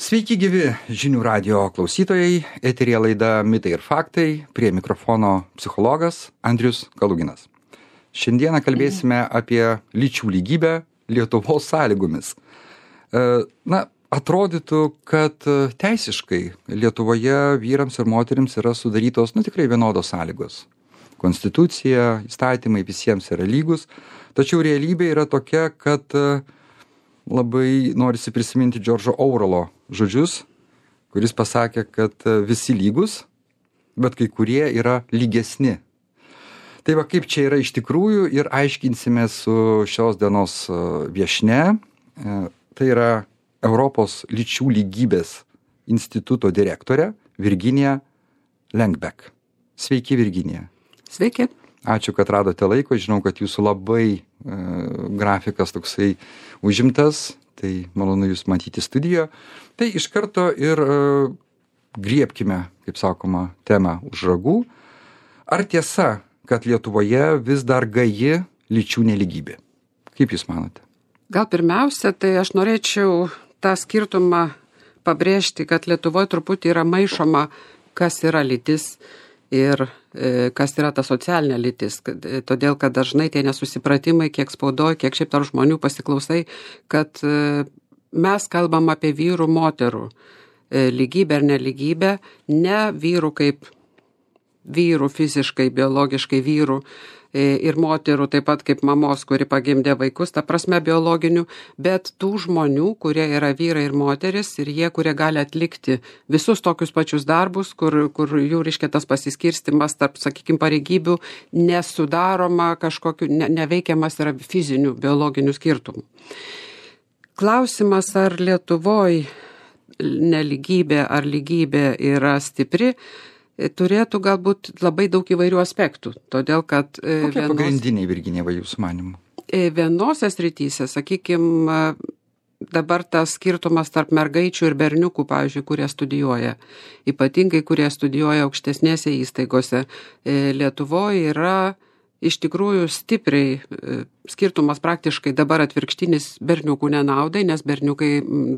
Sveiki gyvi žinių radio klausytojai, eteryje laida Mitai ir faktai, prie mikrofono psichologas Andrius Kaluginas. Šiandieną kalbėsime apie lyčių lygybę Lietuvos sąlygomis. Atrodytų, kad teisiškai Lietuvoje vyrams ir moterims yra sudarytos tikrai vienodos sąlygos. Konstitucija, įstatymai visiems yra lygus, tačiau realybė yra tokia, kad labai norisi prisiminti Džordžo Orwello žodžius, kuris pasakė, kad visi lygus, bet kai kurie yra lygesni. Tai va, kaip čia yra iš tikrųjų ir aiškinsime su šios dienos viešnia. Tai yra Europos lyčių lygybės instituto direktorė Virginija Lengbek. Sveiki, Virginija. Sveiki. Ačiū, kad radote laiko. Žinau, kad jūsų labai grafikas toksai užimtas. Tai malonu jūs matyti studijoje. Tai iš karto ir griebkime, kaip sakoma, temą už ragų. Ar tiesa, kad Lietuvoje vis dar gaji lyčių nelygybė? Kaip jūs manote? Gal pirmiausia, tai aš norėčiau tą skirtumą pabrėžti, kad Lietuvoje truputį yra maišoma, kas yra lytis ir kas yra ta socialinė lytis. Todėl, kad dažnai tie nesusipratimai, kiek spaudoje, kiek šiaip tarp žmonių pasiklausai, kad mes kalbam apie vyrų, moterų lygybę ar nelygybę, ne vyrų kaip vyrų fiziškai, biologiškai vyrų ir moterų, taip pat kaip mamos, kuri pagimdė vaikus, ta prasme biologinių, bet tų žmonių, kurie yra vyrai ir moteris ir jie, kurie gali atlikti visus tokius pačius darbus, kur jų reiškia tas pasiskirstimas tarp, sakykime, pareigybių nesudaroma kažkokiu, neveikiamas yra fizinių, biologinių skirtumų. Klausimas, ar Lietuvoje nelygybė ar lygybė yra stipri, turėtų galbūt labai daug įvairių aspektų, todėl kad kokie pagrindiniai, Virginija, jūsų manimu? Vienose srityse, sakykime, dabar tas skirtumas tarp mergaičių ir berniukų, pavyzdžiui, kurie studijuoja, ypatingai kurie studijuoja aukštesnėse įstaigose, Lietuvoje yra iš tikrųjų stipriai skirtumas praktiškai dabar atvirkštinis berniukų nenaudai, nes berniukai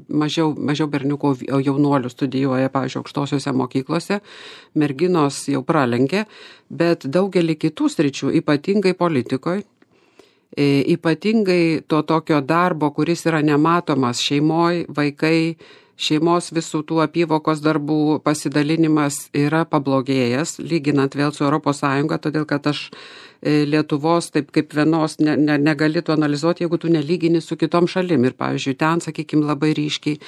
mažiau berniukų jaunuolių studijuoja, pavyzdžiui, aukštosiuose mokyklose, merginos jau pralenkė, bet daugelį kitų sričių, ypatingai politikoje, ypatingai to tokio darbo, kuris yra nematomas šeimoje, vaikai, šeimos visų tų apyvokos darbų pasidalinimas yra pablogėjęs, lyginant vėl su ES, todėl kad aš Lietuvos taip kaip vienos negali tu analizuoti, jeigu tu nelygini su kitom šalim. Ir, pavyzdžiui, ten, sakykime, labai ryškiai.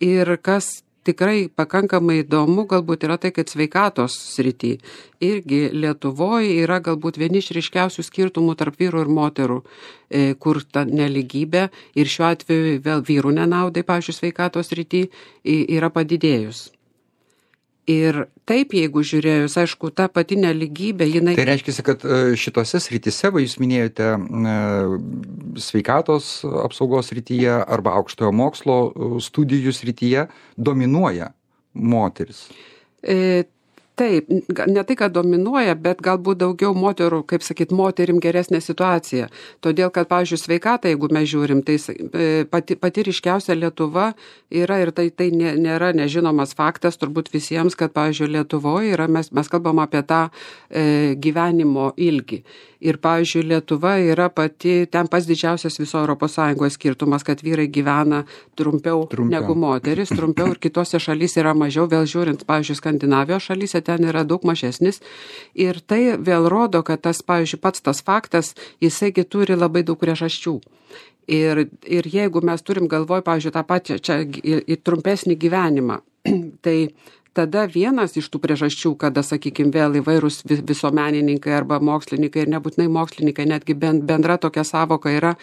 Ir kas tikrai pakankamai įdomu, galbūt yra tai, kad sveikatos srity irgi Lietuvoje yra galbūt vieni iš ryškiausių skirtumų tarp vyrų ir moterų, kur ta nelygybė ir šiuo atveju vėl vyrų nenaudai, pavyzdžiui, sveikatos srity yra padidėjus. Ir taip, jeigu žiūrėjus, aišku, ta pati nelygybė, jinai... Tai reiškia, kad šitose srityse, jūs minėjote sveikatos apsaugos srityje arba aukštojo mokslo studijų srityje, dominuoja moteris. Taip, ne tai, kad dominuoja, bet galbūt daugiau moterų, kaip sakyt, moterim geresnė situacija. Todėl, kad, pavyzdžiui, sveikatą, jeigu mes žiūrim, tai pati ryškiausia Lietuva yra ir tai nėra nežinomas faktas turbūt visiems, kad, pavyzdžiui, Lietuvoje yra, mes kalbam apie tą gyvenimo ilgį. Ir, pavyzdžiui, Lietuva yra ten pats didžiausias viso ES skirtumas, kad vyrai gyvena trumpiau negu moteris, trumpiau ir kitose šalyse yra mažiau, vėl žiūrint, pavyzdžiui, Skandinavijos šalyse ten yra daug mažesnis. Ir tai vėl rodo, kad tas, pavyzdžiui, pats tas faktas, jisaigi turi labai daug priežasčių. Ir jeigu mes turim galvoj, pavyzdžiui, tą pačią čia į trumpesnį gyvenimą, tai tada vienas iš tų priežasčių, kada, sakykime, vėl įvairūs visuomenininkai arba mokslininkai ir nebūtinai mokslininkai, netgi bendra tokia savoka yra,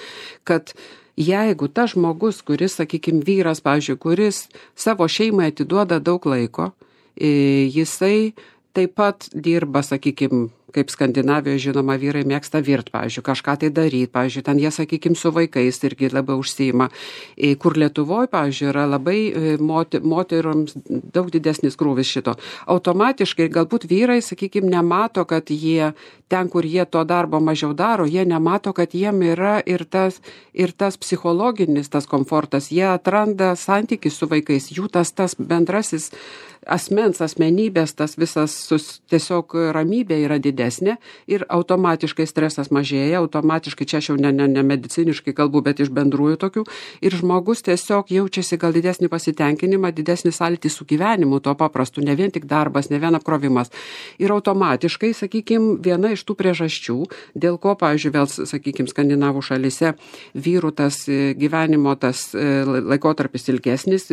kad jeigu tas žmogus, kuris, sakykime, vyras, pavyzdžiui, kuris savo šeimai atiduoda daug laiko, jisai taip pat dirba, sakykime, kaip Skandinavijoje, žinoma, vyrai mėgsta virt, pavyzdžiui, kažką tai daryti, pavyzdžiui, ten jie, sakykime, su vaikais irgi labai užsiima, kur Lietuvoje, pavyzdžiui, yra labai moterims daug didesnis krūvis šito. Automatiškai galbūt vyrai, sakykime, nemato, kad jie ten, kur jie to darbo mažiau daro, jie nemato, kad jiem yra ir tas psichologinis tas komfortas, jie atranda santykį su vaikais, jų tas bendrasis asmenybės, tas visas tiesiog ramybė yra didesnė ir automatiškai stresas mažėja, automatiškai, čia aš jau ne mediciniškai kalbu, bet iš bendrųjų tokių, ir žmogus tiesiog jaučiasi gal didesnį pasitenkinimą, didesnį sąlytį su gyvenimu, to paprastu, ne vien tik darbas, ne vien apkrovimas. Ir automatiškai, sakykime, viena iš tų priežasčių, dėl ko, pavyzdžiui, vėl, sakykime, skandinavų šalyse vyrų tas gyvenimo tas laikotarpis ilgesnis,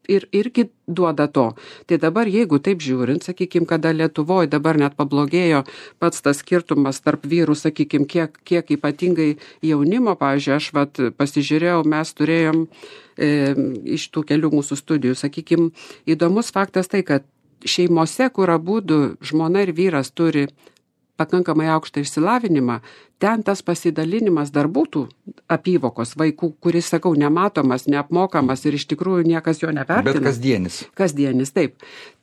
ir irgi duoda to. Tai dabar, jeigu taip žiūrint, sakykime, kada Lietuvoje dabar net pablogėjo pats tas skirtumas tarp vyrų, sakykime, kiek ypatingai jaunimo, pavyzdžiui, aš pasižiūrėjau, mes turėjom iš tų kelių mūsų studijų, sakykime, įdomus faktas tai, kad šeimose, kur abudu žmona ir vyras turi pakankamai aukštą išsilavinimą, ten tas pasidalinimas darbų tų apyvokos vaikų, kuris, sakau, nematomas, neapmokamas ir iš tikrųjų niekas jo nevertina. Bet kasdienis. Kasdienis, taip.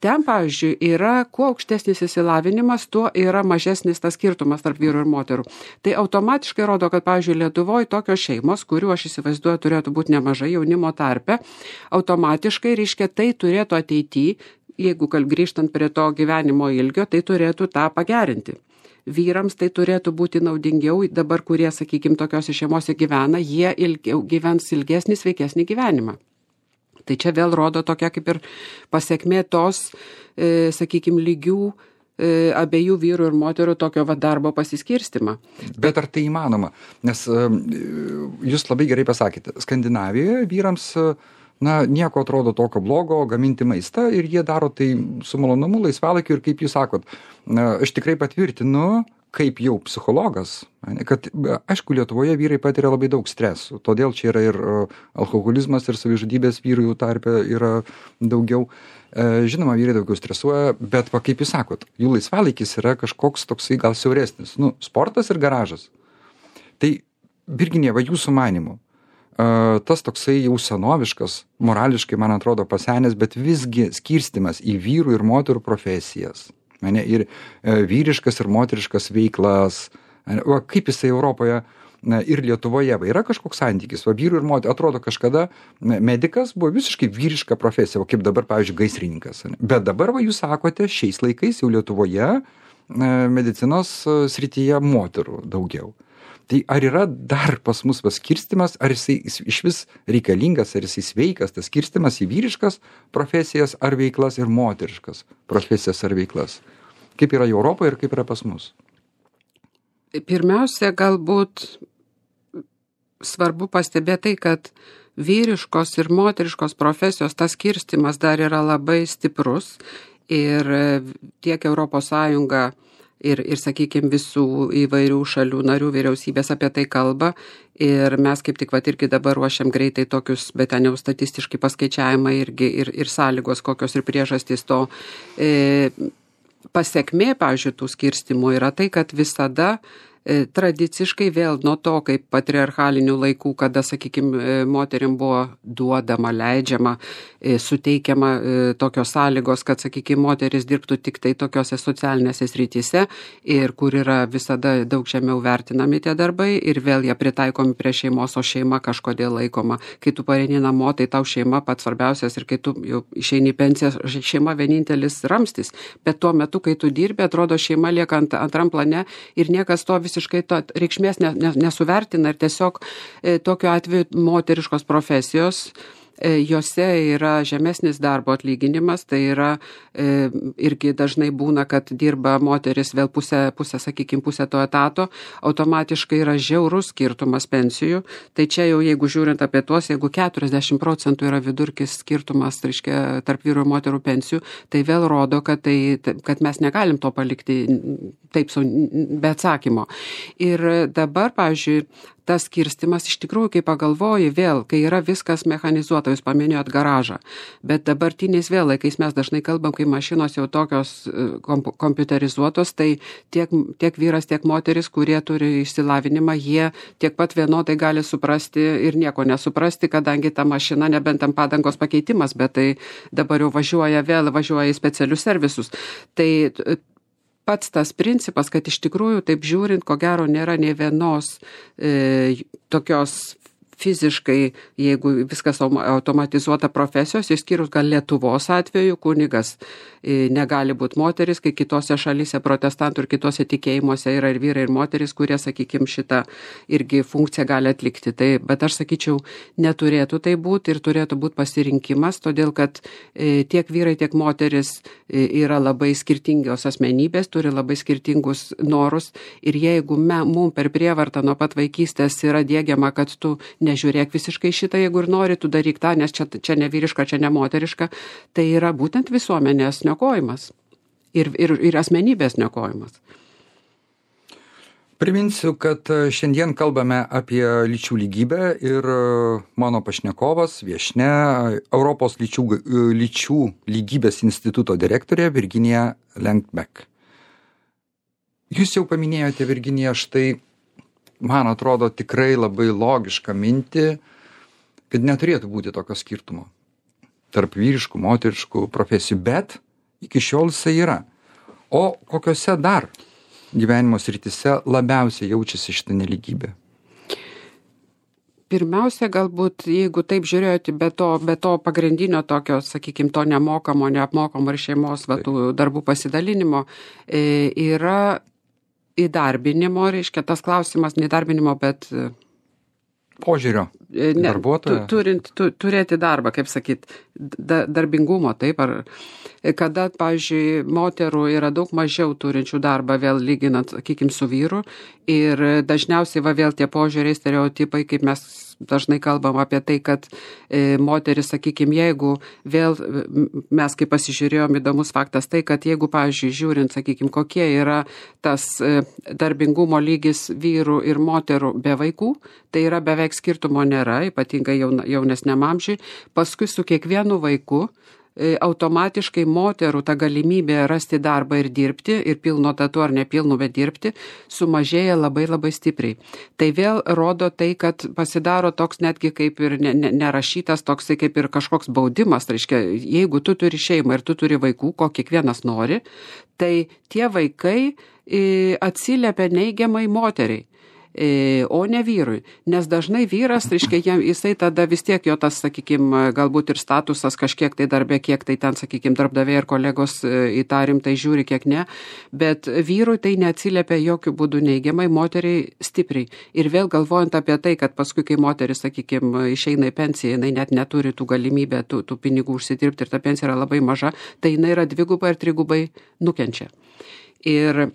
Ten, pavyzdžiui, yra, kuo aukštesnis išsilavinimas, tuo yra mažesnis tas skirtumas tarp vyrų ir moterų. Tai automatiškai rodo, kad, pavyzdžiui, Lietuvoje tokios šeimos, kurių aš įsivaizduoju turėtų būti nemažai jaunimo tarpe, automatiškai, reiškia, tai turėtų ateityje, jeigu grįžtant prie to gyvenimo ilgio, tai turėtų tą pagerinti. Vyrams tai turėtų būti naudingiau, dabar kurie, sakykime, tokiose šeimose gyvena, jie gyvens ilgesnį, sveikesnį gyvenimą. Tai čia vėl rodo tokia kaip ir pasiekmė tos, sakykime, lygių abiejų vyrų ir moterų tokio darbo pasiskirstimą. Bet ar tai įmanoma? Nes jūs labai gerai pasakėte, Skandinavijoje vyrams nieko atrodo tokio blogo gaminti maistą ir jie daro tai su malonumu, laisvalaikiu ir kaip jūs sakot, aš tikrai patvirtinu, kaip jau psichologas, kad aišku, Lietuvoje vyrai patiria labai daug stresų, todėl čia yra ir alkoholizmas ir savižudybės vyrų tarpe yra daugiau. Žinoma, vyrai daugiau stresuoja, bet kaip jūs sakot, jų laisvalaikis yra kažkoks toksai gal siauresnis, sportas ir garažas. Tai, Virginija, jūsų manymu, tas toksai jau senoviškas, morališkai, man atrodo, pasenęs, bet visgi skirstimas į vyrų ir moterų profesijas, ir vyriškas ir moteriškas veiklas, kaip jisai Europoje ir Lietuvoje yra kažkoks santykis, vyrų ir moterų, atrodo kažkada medikas buvo visiškai vyriška profesija, kaip dabar, pavyzdžiui, gaisrininkas, bet dabar, jūs sakote, šiais laikais jau Lietuvoje medicinos srityje moterų daugiau. Tai ar yra dar pas mus skirstimas, ar jisai iš vis reikalingas, ar jisai sveikas, tas skirstimas į vyriškas profesijas ar veiklas ir moteriškas profesijas ar veiklas? Kaip yra Europoje ir kaip yra pas mus? Pirmiausia, galbūt svarbu pastebėti tai, kad vyriškos ir moteriškos profesijos tas skirstimas dar yra labai stiprus ir tiek Europos Sąjunga ir sakykime, visų įvairių šalių narių vyriausybės apie tai kalba ir mes kaip tik irgi dabar ruošiam greitai tokius, bet ten jau statistiškai paskaičiavimai irgi ir sąlygos, kokios ir priežastys to pasiekmė, pavyzdžiui, tų skirstimų yra tai, kad visada tradiciškai vėl nuo to, kaip patriarchalinių laikų, kada, sakykime, moterim buvo duodama, leidžiama, suteikiama tokios sąlygos, kad, sakykime, moteris dirbtų tik tai tokiose socialinėse srityse ir kur yra visada daug žemiau vertinami tie darbai ir vėl jie pritaikomi prie šeimos, o šeima kažkodėl laikoma. Kai tu pareini namo, tai tau šeima pats svarbiausias ir kai tu jau išeini į pensiją, šeima vienintelis ramstis. Bet tuo metu, kai tu dirbi, atrodo, šeima lieka antram plane ir niekas to visiškai to reikšmės nesuvertina ir tiesiog tokiu atveju moteriškos profesijos, jose yra žemesnis darbo atlyginimas, tai yra irgi dažnai būna, kad dirba moteris vėl pusę, sakykime, pusę to etato, automatiškai yra žiaurus skirtumas pensijų, tai čia jau jeigu žiūrint apie tuos, jeigu 40% yra vidurkis skirtumas, reiškia, tarp vyrų ir moterų pensijų, tai vėl rodo, kad mes negalim to palikti taip be atsakymo. Ir dabar, pavyzdžiui, tas skirstimas iš tikrųjų, kai pagalvoji vėl, kai yra viskas mechanizuota, jūs paminėjot garažą, bet dabartiniais vėl laikais mes dažnai kalbam, kai mašinos jau tokios kompiuterizuotos, tai tiek vyras, tiek moteris, kurie turi išsilavinimą, jie tiek pat vienodai gali suprasti ir nieko nesuprasti, kadangi ta mašina nebent tam padangos pakeitimas, bet tai dabar jau važiuoja į specialius servisus. Tai pats tas principas, kad iš tikrųjų, taip žiūrint, ko gero nėra nei vienos tokios fiziškai, jeigu viskas automatizuota profesijos, išskyrus gal Lietuvos atveju, kunigas negali būti moteris, kai kitose šalyse protestantų ir kitose tikėjimuose yra ir vyrai, ir moteris, kurie, sakykime, šitą irgi funkciją gali atlikti. Tai, bet aš sakyčiau, neturėtų tai būti ir turėtų būti pasirinkimas, todėl kad tiek vyrai, tiek moteris yra labai skirtingios asmenybės, turi labai skirtingus norus ir jeigu mums per prievartą nuo pat vaikystės yra diegiama, kad tu nežiūrėk visiškai šitą, jeigu ir nori, tu daryk tą, nes čia ne vyriška, čia ne moteriška, tai yra būtent visuomenės niokojimas ir asmenybės niokojimas. Priminsiu, kad šiandien kalbame apie lyčių lygybę ir mano pašnekovas, viešnia, Europos lyčių lygybės instituto direktorė Virginija Lengbeck. Jūs jau paminėjote, Virginija, štai, man atrodo, tikrai labai logišką mintį, kad neturėtų būti tokio skirtumo tarp vyriškų, moteriškų profesijų, bet iki šiol jisai yra. O kokiose dar gyvenimo srityse labiausiai jaučiasi šitą nelygybę? Pirmiausia, galbūt, jeigu taip žiūrėjote, be to pagrindinio tokio, sakykime, to nemokamo, neapmokamo ir šeimos tų darbų pasidalinimo, yra įdarbinimo, reiškia tas klausimas, neįdarbinimo, bet požiūrio darbuotojo. Turėti darbą, kaip sakyt, darbingumo, taip, ar kada, pavyzdžiui, moterų yra daug mažiau turinčių darbą, vėl lyginant, sakykime, su vyru, ir dažniausiai vėl tie požiūriai, stereotipai, kaip mes dažnai kalbam apie tai, kad moteris, sakykime, jeigu vėl mes, kaip pasižiūrėjom, įdomus faktas tai, kad jeigu, pavyzdžiui, žiūrint, sakykime, kokie yra tas darbingumo lygis vyrų ir moterų be vaikų, tai yra beveik skirtumo nėra, ypatingai jaunesniam amžiui, paskui su kiekvienu vaiku automatiškai moterų ta galimybė rasti darbą ir dirbti, ir pilno tatu ar nepilnu, bet dirbti, sumažėja labai labai stipriai. Tai vėl rodo tai, kad pasidaro toks netgi kaip ir nerašytas, toksai kaip ir kažkoks baudimas. Tai reiškia, jeigu tu turi šeimą ir tu turi vaikų, ko kiekvienas nori, tai tie vaikai atsiliepia neigiamai moteriai, o ne vyrui. Nes dažnai vyras, reiškia, jisai tada vis tiek jo tas, sakykime, galbūt ir statusas kažkiek tai darbė, kiek tai ten, sakykime, darbdaviai ir kolegos į tą rimtai žiūri, kiek ne, bet vyrui tai neatsiliepia jokių būdų neigiamai, moteriai stipriai. Ir vėl galvojant apie tai, kad paskui, kai moteris, sakykime, išeina į pensiją, jinai net neturi tų galimybę tų pinigų užsidirbti ir ta pensija yra labai maža, tai jinai yra dvigubai ir trigubai nukenčia. Ir,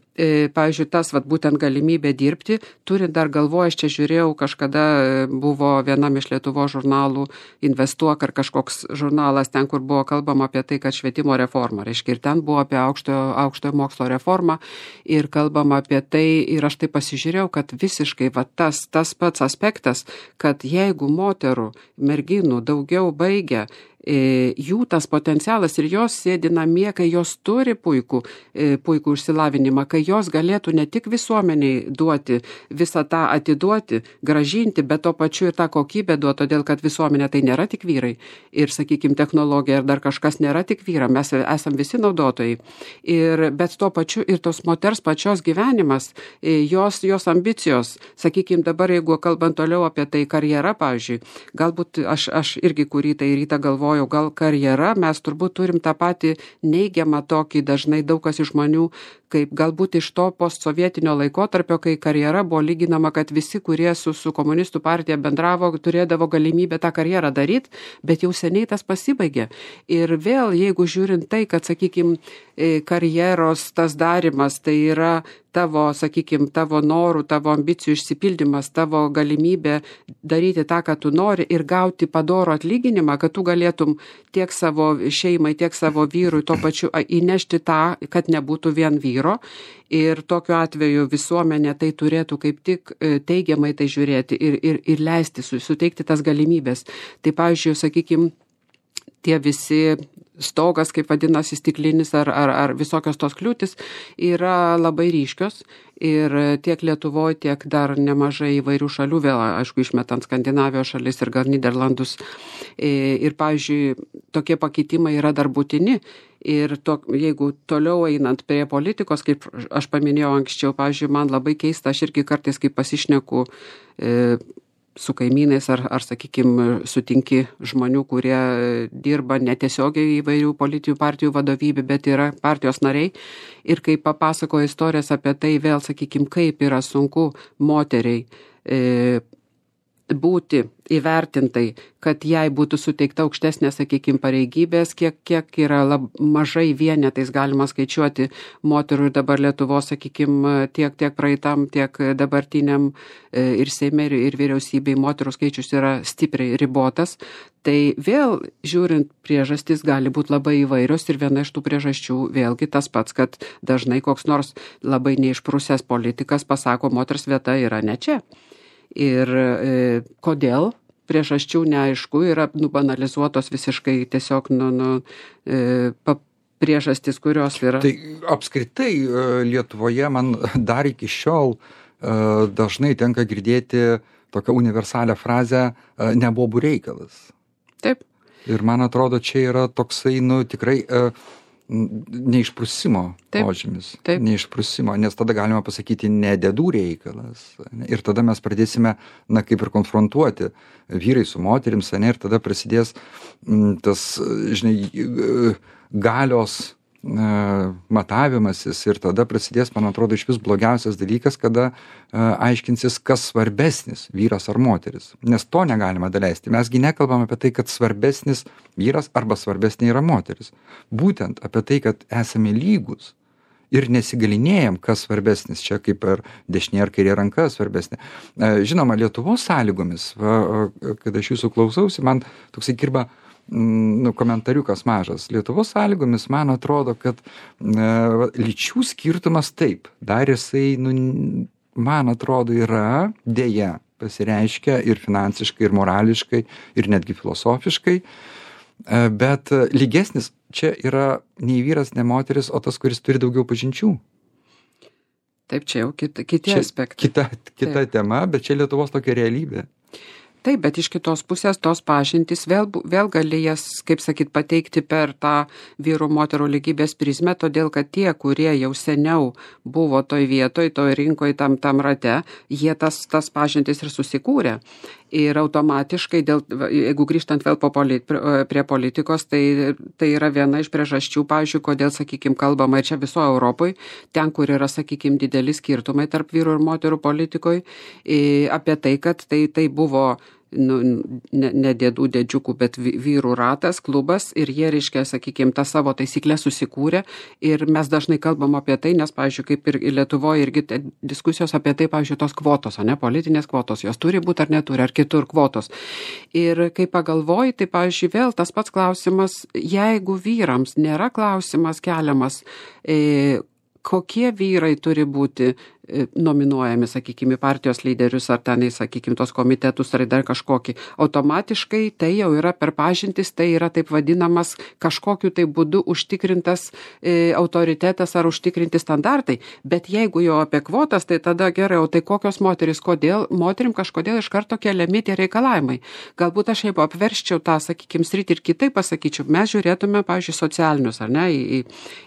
pavyzdžiui, tas būtent galimybė dirbti, turint dar galvoje, aš čia žiūrėjau, kažkada buvo vienam iš Lietuvos žurnalų Investuok ar kažkoks žurnalas ten, kur buvo kalbama apie tai, kad švietimo reforma, reiškia, ir ten buvo apie aukštojo mokslo reformą ir kalbama apie tai, ir aš tai pasižiūrėjau, kad visiškai tas pats aspektas, kad jeigu moterų, merginų daugiau baigia, jų tas potencialas ir jos sėdi namie, kai jos turi puikų išsilavinimą, kai jos galėtų ne tik visuomeniai duoti, visą tą atiduoti, gražinti, bet to pačiu ir tą kokybę duoti, todėl kad visuomenė tai nėra tik vyrai ir, sakykime, technologija ir dar kažkas nėra tik vyra, mes esam visi naudotojai. Bet to pačiu ir tos moters pačios gyvenimas, jos ambicijos, sakykime, dabar jeigu kalbant toliau apie tai karjerą, pavyzdžiui, galbūt aš irgi kurį tai rytą galvoju, gal karjera, mes turbūt turim tą patį neigiamą tokį, dažnai daug kas iš žmonių, kaip galbūt iš to postsovietinio laikotarpio, kai karjera buvo lyginama, kad visi, kurie su komunistų partija bendravo, turėdavo galimybę tą karjerą daryti, bet jau seniai tas pasibaigė. Ir vėl, jeigu žiūrint tai, kad, sakykime, karjeros tas darimas, tai yra tavo, sakykime, tavo norų, tavo ambicijų išsipildymas, tavo galimybė daryti tą, ką tu nori ir gauti padorų atlyginimą, kad tu galėtum tiek savo šeimai, tiek savo vyrui tuo pačiu įnešti tą, kad nebūtų vien vyro, vyro ir tokiu atveju visuomenė tai turėtų kaip tik teigiamai tai žiūrėti ir leisti, suteikti tas galimybės. Tai pavyzdžiui, sakykime, tie visi stogas, kaip vadinasi, stiklinis ar visokios tos kliūtis yra labai ryškios ir tiek Lietuvoje, tiek dar nemažai įvairių šalių, vėl, aišku, išmetant Skandinavijos šalis ir gal Nyderlandus. Ir, pavyzdžiui, tokie pakeitimai yra dar būtini. Ir jeigu toliau einant prie politikos, kaip aš paminėjau anksčiau, pavyzdžiui, man labai keista, aš irgi kartais, kai pasišneku su kaimynais ar sakykime, sutinki žmonių, kurie dirba netiesiogiai įvairių politinių partijų vadovybė, bet yra partijos nariai. Ir kai papasakoja istorijas apie tai, vėl, sakykime, kaip yra sunku moteriai būti įvertintai, kad jai būtų suteikta aukštesnė, sakykime, pareigybės, kiek yra mažai vienetais galima skaičiuoti moterų ir dabar Lietuvos, sakykime, tiek praeitam, tiek dabartiniam ir Seime, ir vyriausybei moterų skaičius yra stipriai ribotas. Tai vėl, žiūrint, priežastys gali būti labai įvairios ir viena iš tų priežasčių vėlgi tas pats, kad dažnai koks nors labai neišprusęs politikas pasako, moters vieta yra ne čia. Ir kodėl priežasčių neaišku, yra banalizuotos visiškai tiesiog priežastys, kurios yra. Tai apskritai Lietuvoje man dar iki šiol dažnai tenka girdėti tokią universalią frazę nebobų reikalas. Taip. Ir man atrodo, čia yra toksai, tikrai neišprusimo požymis. Taip. Neišprusimo, nes tada galima pasakyti nedėdų reikalas. Ir tada mes pradėsime, kaip ir konfrontuoti vyrai su moterims, ir tada prasidės tas, galios matavimasis ir tada prasidės, man atrodo, iš vis blogiausias dalykas, kada aiškinsis, kas svarbesnis, vyras ar moteris. Nes to negalima daleisti. Mesgi nekalbam apie tai, kad svarbesnis vyras arba svarbesnė yra moteris. Būtent apie tai, kad esame lygus ir nesigalinėjam, kas svarbesnis. Čia kaip ar dešinė ar kairė ranka svarbesnė. Žinoma, Lietuvos sąlygomis, kad aš jūsų klausausi, man toksai kirba komentariukas mažas. Lietuvos sąlygomis man atrodo, kad lyčių skirtumas taip, dar jisai, man atrodo, yra dėja pasireiškia ir finansiškai, ir morališkai, ir netgi filosofiškai, bet lygesnis čia yra nei vyras, nei moteris, o tas, kuris turi daugiau pažinčių. Taip, čia jau kiti aspektai. Kita tema, bet čia Lietuvos tokia realybė. Taip, bet iš kitos pusės tos pažintys vėl gali jas, kaip sakyt, pateikti per tą vyrų moterų lygybės prizmę, todėl kad tie, kurie jau seniau buvo toj vietoj, toj rinkoj, tam rate, jie tas pažintys ir susikūrė. Ir automatiškai, jeigu grįžtant vėl prie politikos, tai yra viena iš priežasčių, pavyzdžiui, kodėl, sakykime, kalbama ir čia visoje Europoje, ten, kur yra, sakykime, dideli skirtumai tarp vyrų ir moterų politikoje, apie tai, kad tai buvo ne dėdžiukų, bet vyrų ratas, klubas ir jie, reiškia, sakykime, tą savo taisyklę susikūrė ir mes dažnai kalbam apie tai, nes, pavyzdžiui, kaip ir Lietuvoje irgi diskusijos apie tai, pavyzdžiui, tos kvotos, politinės kvotos, jos turi būti ar neturi, ar kitur kvotos. Ir kai pagalvoji, tai, pavyzdžiui, vėl tas pats klausimas, jeigu vyrams nėra klausimas keliamas, kokie vyrai turi būti nominuojami, sakykime, partijos lyderius ar tenai, sakykime, tos komitetus ar dar kažkokį. Automatiškai tai jau yra per pažintis, tai yra taip vadinamas kažkokiu tai būdu užtikrintas autoritetas ar užtikrinti standartai. Bet jeigu jau apie kvotas, tai tada gerai, o tai kokios moteris, kodėl moterim kažkodėl iš karto keliami tie reikalavimai. Galbūt aš jeigu apverščiau tą, sakykime, sritį ir kitaip pasakyčiau, mes žiūrėtume, pavyzdžiui, socialinius, ar ne,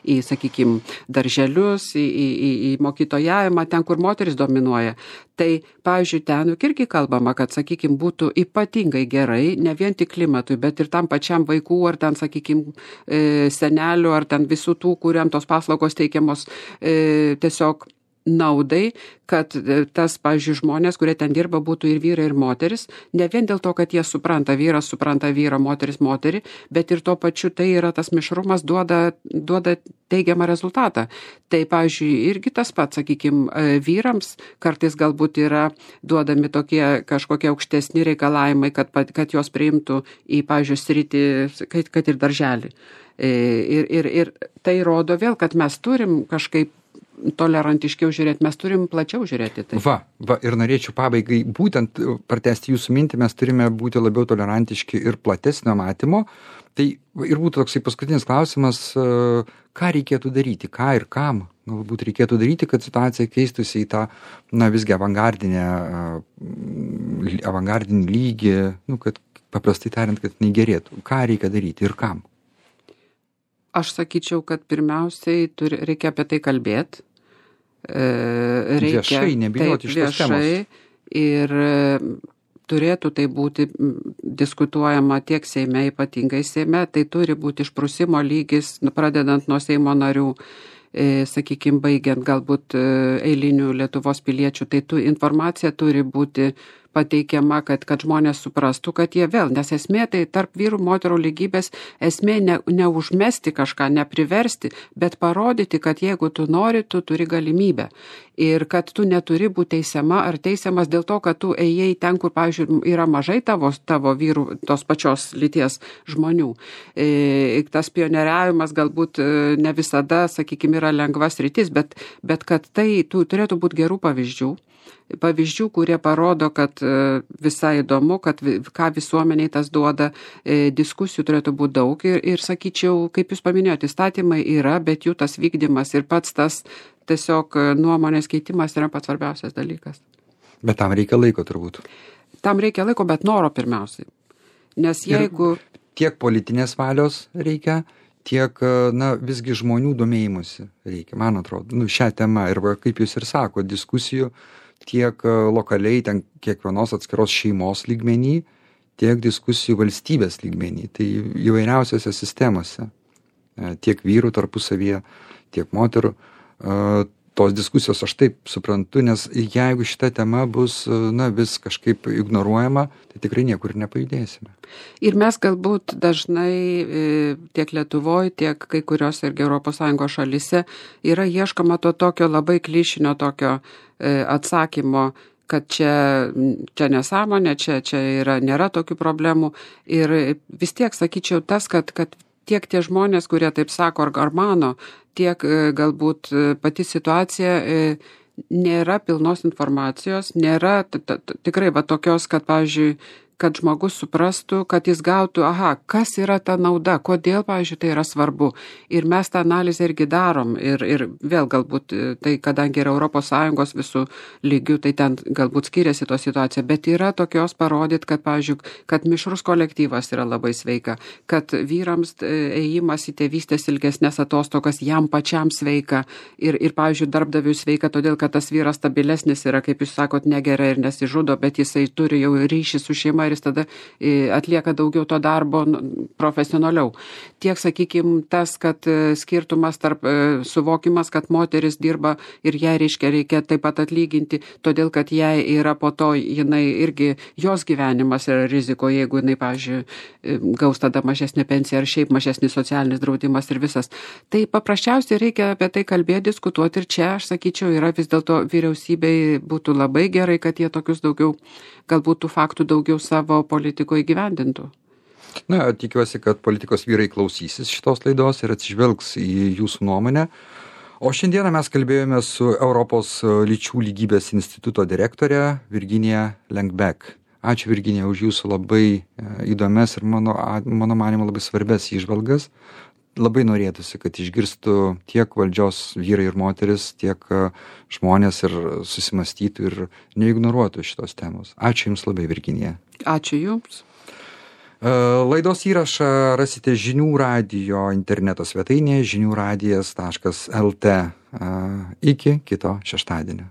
į sakykime, darželius, į mokytojavimą, ten, kur moteris dominuoja. Tai, pavyzdžiui, ten irgi kalbama, kad, sakykime, būtų ypatingai gerai, ne vien tik klimatui, bet ir tam pačiam vaikų, ar ten, sakykime, senelių, ar ten visų tų, kuriam tos paslaugos teikiamos tiesiog naudai, kad tas, pavyzdžiui, žmonės, kurie ten dirba, būtų ir vyrai, ir moteris, ne vien dėl to, kad jie supranta, vyras supranta vyrą, moteris moterį, bet ir tuo pačiu tai yra tas mišrumas duoda teigiamą rezultatą. Tai, pavyzdžiui, irgi tas pats, sakykime, vyrams kartais galbūt yra duodami tokie kažkokie aukštesni reikalavimai, kad jos priimtų į, pavyzdžiui, sritį, kad ir darželį. Ir tai rodo vėl, kad mes turim kažkaip tolerantiškiau žiūrėti, mes turim plačiau žiūrėti. Tai. Va, ir norėčiau pabaigai būtent pratęsti jūsų mintį, mes turime būti labiau tolerantiški ir platesnio matymo. Tai ir būtų toksai paskutinis klausimas, ką reikėtų daryti, ką ir kam galbūt reikėtų daryti, kad situacija keistųsi į tą, visgi avangardinį lygį, kad paprastai tariant, kad negerėtų. Ką reikia daryti ir kam? Aš sakyčiau, kad pirmiausiai reikia apie tai kalbėti. Viešai, nebijoti šitos temos. Ir turėtų tai būti diskutuojama tiek Seime, ypatingai Seime, tai turi būti išprusimo lygis, pradedant nuo Seimo narių, sakykime, baigiant galbūt eilinių Lietuvos piliečių, tai informacija turi būti pateikiama, kad žmonės suprastų, kad jie vėl, nes esmė tai tarp vyrų moterų lygybės, esmė neužmesti kažką, nepriversti, bet parodyti, kad jeigu tu nori, tu turi galimybę. Ir kad tu neturi būti teisiama ar teisiamas dėl to, kad tu ėjai ten, kur, pavyzdžiui, yra mažai tavo vyrų, tos pačios lyties žmonių. Tas pionieriavimas galbūt ne visada, sakykime, yra lengvas rytis, bet kad tai turėtų būti gerų pavyzdžių, kurie parodo, kad visai įdomu, kad ką visuomeniai tas duoda, diskusijų turėtų būti daug ir sakyčiau, kaip jūs paminėjote, įstatymai yra, bet jų tas vykdymas ir pats tas tiesiog nuomonės keitimas yra pats svarbiausias dalykas. Bet tam reikia laiko turbūt. Tam reikia laiko, bet noro pirmiausiai. Nes jeigu... Tiek politinės valios reikia, tiek, visgi žmonių domėjimusi reikia, man atrodo, šią temą ir kaip jūs ir sako, diskusijų tiek lokaliai, ten kiekvienos atskiros šeimos lygmenį, tiek diskusijų valstybės lygmenį, tai įvairiausiose sistemose, tiek vyrų tarpusavyje, tiek moterų. Tos diskusijos aš taip suprantu, nes jeigu šita tema bus, vis kažkaip ignoruojama, tai tikrai niekur nepajudėsime. Ir mes galbūt dažnai tiek Lietuvoje, tiek kai kurios irgi ES šalyse yra ieškoma to tokio labai klišinio tokio atsakymo, kad čia nesąmonė, čia nėra tokių problemų. Ir vis tiek sakyčiau tas, kad tiek tie žmonės, kurie taip sako ar mano, tiek galbūt pati situacija nėra pilnos informacijos, nėra tikrai tokios, kad, pavyzdžiui, kad žmogus suprastų, kad jis gautų, kas yra ta nauda, kodėl, pavyzdžiui, tai yra svarbu. Ir mes tą analizę irgi darom. Ir vėl galbūt, tai kadangi yra ES visų lygių, tai ten galbūt skiriasi to situacija, bet yra tokios parodyti, kad, pavyzdžiui, kad mišrus kolektyvas yra labai sveika, kad vyrams ėjimas į tėvystės ilgesnės atostogas jam pačiam sveika ir pavyzdžiui, darbdaviui sveika, todėl, kad tas vyras stabilesnis yra, kaip jūs sakot, negeria ir nesižudo, bet jisai turi jau ryšį su šeima ir jis tada atlieka daugiau to darbo profesionaliau. Tiek, sakykime, tas, kad skirtumas tarp suvokimas, kad moteris dirba ir jai reikia taip pat atlyginti, todėl, kad jai yra po to, jinai irgi, jos gyvenimas yra riziko, jeigu jinai, pavyzdžiui, gaus tada mažesnė pensija ar šiaip mažesnis socialinis draudimas ir visas. Tai paprasčiausiai reikia apie tai kalbėti, diskutuoti ir čia, aš sakyčiau, yra vis dėlto vyriausybei būtų labai gerai, kad jie tokius daugiau, galbūt tų faktų daugiau savo politikoje įgyvendintų. Tikiuosi, kad politikos vyrai klausysis šitos laidos ir atsižvelgs į jūsų nuomonę. O šiandieną mes kalbėjome su Europos lyčių lygybės instituto direktorė Virginija Lengbek. Ačiū, Virginija, už jūsų labai įdomias ir mano manymu labai svarbias įžvalgas. Labai norėtųsi, kad išgirstų tiek valdžios vyrai ir moteris, tiek žmonės ir susimastytų ir neignoruotų šitos temos. Ačiū Jums labai, Virginija. Ačiū Jums. Laidos įrašą rasite Žinių radijo interneto svetainėje žiniųradijas.lt. Iki kito šeštadienio.